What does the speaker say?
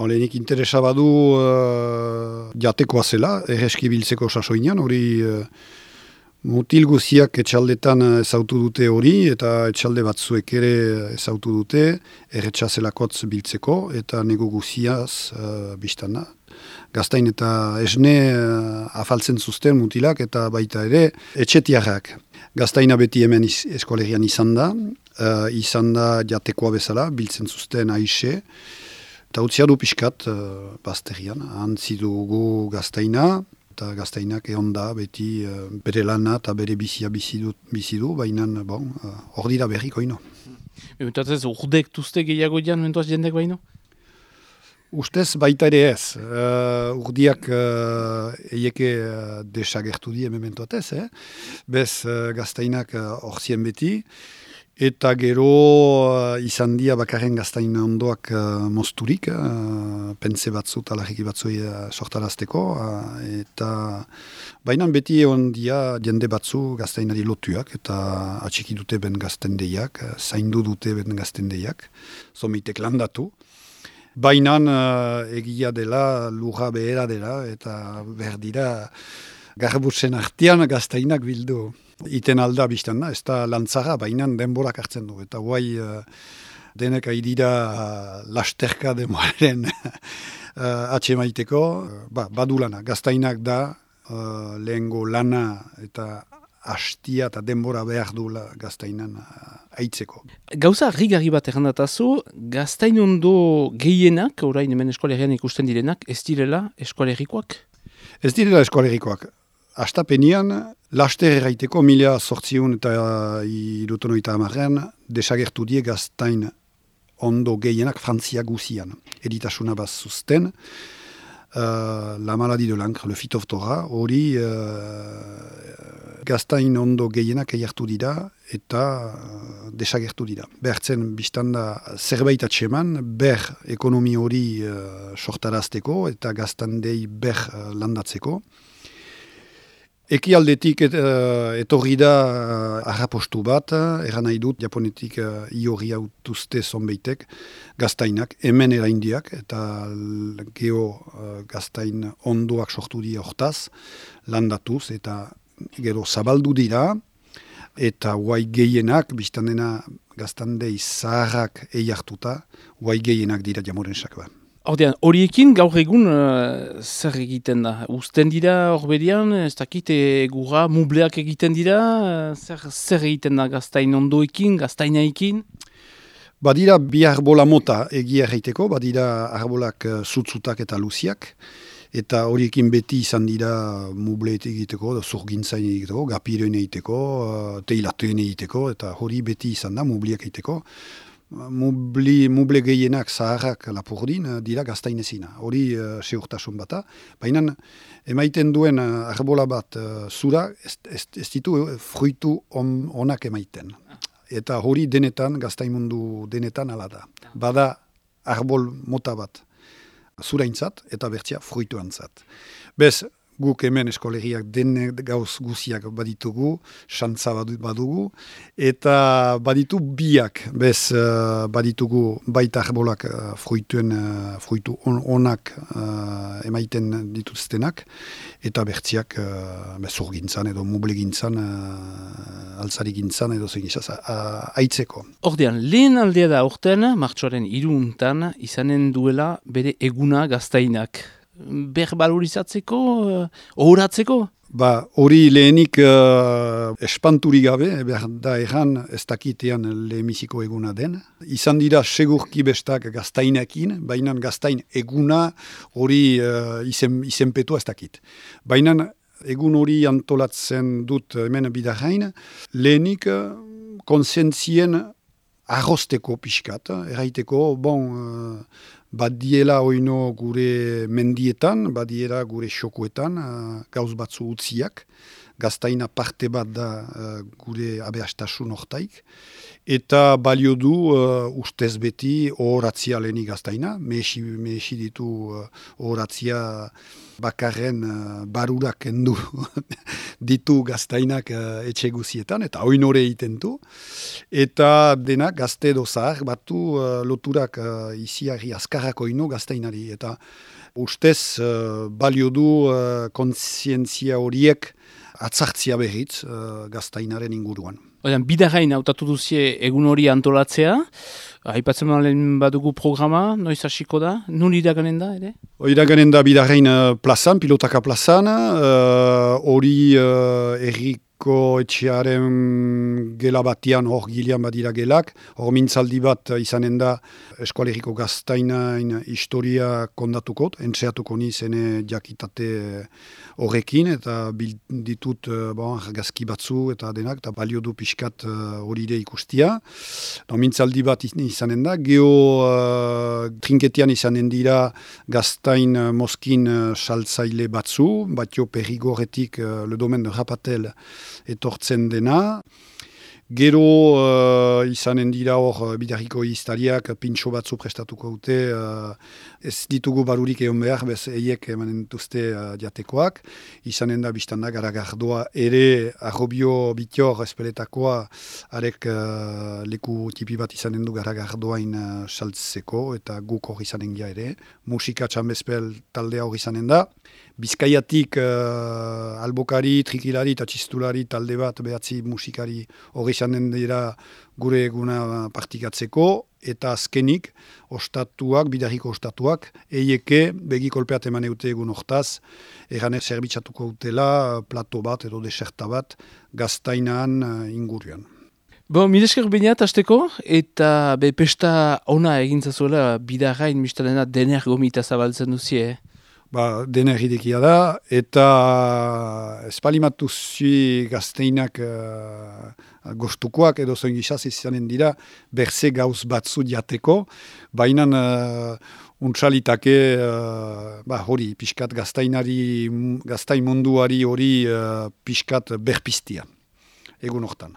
Lehenik interesa badu jatekoa zela, erreski biltzeko sasoinan, hori mutil guziak etxaldetan ezautu dute hori, eta etxalde batzuek ere ezautu dute, erretxa zelakotz biltzeko, eta nego guziaz biztana. Gaztain eta esne afaltzen zuzten mutilak, eta baita ere etxetiarrak. Gaztaina beti hemen eskolegian izan da jatekoa bezala, biltzen zuzten aixe, eta utzia du pixkat bazterian, antzi dugu gaztaina, eta gaztainak egon da beti bere lana eta bere bizia bizi du, baina hor dira berriko ino. Mentuaz urdek tuzte gehiago dian, mentuaz jendek baino? Ustez baita ere ez. Urdiak eieke desagertu die mementoatez, bez gaztainak horzien beti, eta gero izan dia bakarren gaztain ondoak mozturik, pense batzu talarriki batzui sortarazteko, eta bainan beti egon dia jende batzu gaztainari lotuak, eta atxiki dute ben gaztendeiak, zaindu dute ben gaztendeiak, zomitek landatu. Bainan egia dela, lurra behera dela, eta berdira garbutzen artean gaztainak bildu. Iten alda biztan da, ez da lantzara, bainan denborak hartzen du. Eta guai denek aidira lasterka denboraren atxemaiteko, badu lana. Gaztainak da lehengo lana eta hastia eta denbora behar duela gaztainan aitzeko. Gauza harrigarri bat errandatazu, gaztain ondo gehienak, orain hemen eskolegian ikusten direnak, ez direla eskolegikoak? Ez direla eskolegikoak. Astapenian, laster erraiteko 1800 eta 1930 desagertu die gaztain ondo gehienak Frantzia guzian. Editasuna bat zuzten, la maladie de l'encre, le phytophthora, hori gaztain ondo gehienak eiartu dira eta desagertu dira. Behartzen biztanda zerbait atseman, ber ekonomi hori sortarazteko eta gaztandei ber landatzeko. Ekialdetik etorri da harrapostu bat, eran nahi dut, japonetik iorri autuzte zonbeitek, gaztainak, hemen eraindiak, eta geho gaztain ondoak sortu dira hortaz, landatuz, eta gero zabaldu dira, eta guai gehienak, biztandena gaztandei zaharrak eiartuta, guai gehienak dira jamorensak ba. Horiekin gaur egun zer egiten da? Uzten dira horberian, ez dakit egurra, mubleak egiten dira, zer egiten da gaztain ondoekin, gaztainaikin? Badira bi arbola mota egia erraiteko, badira arbolak zutzutak eta luziak, eta horiekin beti izan dira mubleet egiteko, zurgintzain egiteko, gapiroen egiteko, teilateen egiteko, eta hori beti izan da mubleak egiteko. Muble gehienak zaharrak lapurdin dira gaztainezina. Hori seurtasun bata. Baina emaiten duen arbola bat zura ez ditu fruitu onak emaiten. Eta hori denetan, gaztaimundu denetan ala da. Bada arbol mota bat zuraintzat eta bertzia fruituantzat. Bez, guk hemen eskolegiak den gauz guziak baditugu, xantza badugu, eta baditu biak, bez baditugu baita arbolak fruitu onak emaiten dituztenak, eta bertziak zurgintzan edo mublegintzan, altzarigintzan edo zegizaz, aitzeko. Ordean, lehen aldea da orten, martxoaren 3 izanen duela bere eguna gaztainak. Berbalorizatzeko, ohoratzeko? Hori lehenik espanturi gabe, behar da erran ez dakitean lehemiziko eguna den. Izan dira segurki bestak gaztainekin, baina gaztain eguna hori izenpetua ez dakit. Baina egun hori antolatzen dut hemen bidarrain, lehenik konsientzien arrosteko pixkat, erraiteko, badiela oino gure mendietan, badiela gure xokuetan, gauz batzu utziak, gaztaina parte bat da gure abeastasun hortaik, eta balio du ustez beti ohoratzia lehenik gaztaina, mehesi ditu ohoratzia bakarren barurak kendu ditu gaztainak etxe guzietan, eta oinore egiten du, eta denak gazte edo zahar batu loturak iziari azkarrako ino gaztainari, eta ustez balio du kontzientzia horiek atzartzia berriz gaztainaren inguruan. Oian, bidagain hautatu duzie egun hori antolatzea, aipatzen lehen badugu programa, noiz hasiko da, nun iraganen da, ere? Iraganen da bidagain plazan, pilotaka plazan, hori erriko etxearen gela batian, hor gilean badira gelak, hor mintzaldi bat izanen da eskualeriko gaztainain historia kondatuko, entzeatuko nizene jakitate horrekin, eta ditut argazki batzu eta denak, eta balio du pixkat hori ikustia. Mintzaldi bat izanen da, trinketian izanen dira gaztain moskin saltzaile batzu, batio perrigoretik le domen de Rapatel etortzen dena. Gero izanen dira hor bidarriko historiak pintxo batzu prestatuko dute, ez ditugu barurik egon behar, bez eiek emanen duzte diatekoak. Izanen da biztanda garagardoa ere arrobio bitior espeletakoa arek leku tipi bat izanen du garagardoain saltzeko eta guk hor izanen gira ere. Musika txambezpel taldea hor izanen da. Bizkaiatik albokari, trikilari eta txistulari talde bat behatzi musikari hori izanen dira gure eguna partikatzeko, eta azkenik ostatuak, bidarriko ostatuak, eieke begi kolpeat eman eute egun hortaz, eranek zerbitzatuko utela plato bat edo deserta bat gaztainaan inguruan. Milesker beinat hasteko, eta pesta ona egintzazuela bidagain mistalena dener gomita zabaltzen duzie, Dener idekia da, eta espalimatu zui gazteinak gostukoak edo zoin gizaz izanen dira berze gauz batzu diateko, baina untsalitake hori pixkat gaztain munduari hori pixkat berpiztia egun hortan.